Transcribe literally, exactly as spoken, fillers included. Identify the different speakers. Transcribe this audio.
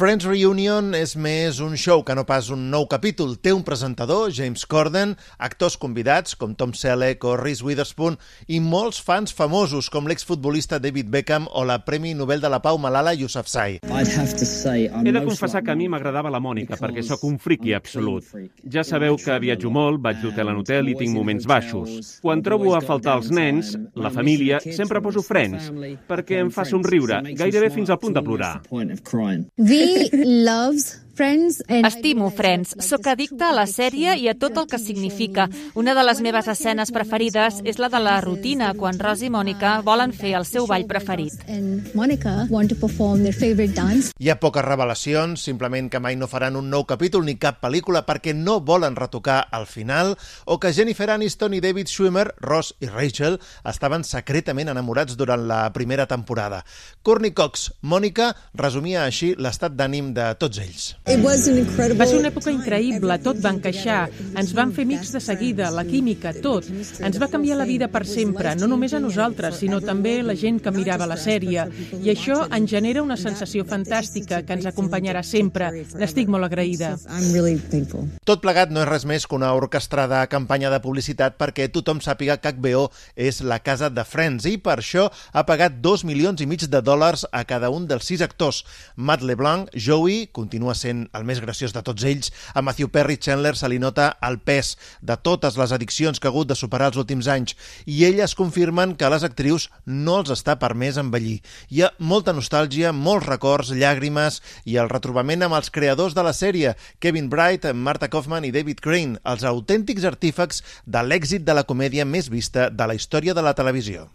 Speaker 1: Friends Reunion és més un show que no pas un nou capítol. Té un presentador, James Corden, actors convidats com Tom Selleck o Reese Witherspoon i molts fans famosos com l'exfutbolista David Beckham o la Premi Nobel de la Pau Malala Yousafzai.
Speaker 2: He de confessar que a mi m'agradava la Mònica perquè sóc un friqui absolut. Ja sabeu que viatjo molt, vaig d'hotel en hotel i tinc moments baixos. Quan trobo a faltar els nens, la família, sempre poso Friends perquè em fa somriure, gairebé fins al punt de plorar.
Speaker 3: We loves Friends.
Speaker 4: Estimo Friends. Soc addicta a la sèrie i a tot el que significa. Una de les meves escenes preferides és la de la rutina, quan Ross i Mònica volen fer el seu ball preferit.
Speaker 1: Hi ha poques revelacions, simplement que mai no faran un nou capítol ni cap pel·lícula perquè no volen retocar al final, o que Jennifer Aniston i David Schwimmer, Ross i Rachel, estaven secretament enamorats durant la primera temporada. Courtney Cox, Mònica, resumia així l'estat d'ànim de tots ells.
Speaker 5: Va ser una època increïble, tot va encaixar, ens vam fer amics de seguida, la química, tot. Ens va canviar la vida per sempre, no només a nosaltres, sinó també la gent que mirava la sèrie. I això ens genera una sensació fantàstica que ens acompanyarà sempre. N'estic molt agraïda.
Speaker 1: Tot plegat no és res més que una orquestrada campanya de publicitat perquè tothom sàpiga que H B O és la casa de Friends i per això ha pagat dos milions i mig de dòlars a cada un dels sis actors. Matt LeBlanc, Joey, continua sent el més graciós de tots ells. A Matthew Perry Chandler se li nota el pes de totes les addiccions que ha hagut de superar els últims anys i elles confirmen que a les actrius no els està permès envellir. Hi ha molta nostàlgia, molts records, llàgrimes i el retrobament amb els creadors de la sèrie, Kevin Bright, Marta Kaufman i David Crane, els autèntics artífecs de l'èxit de la comèdia més vista de la història de la televisió.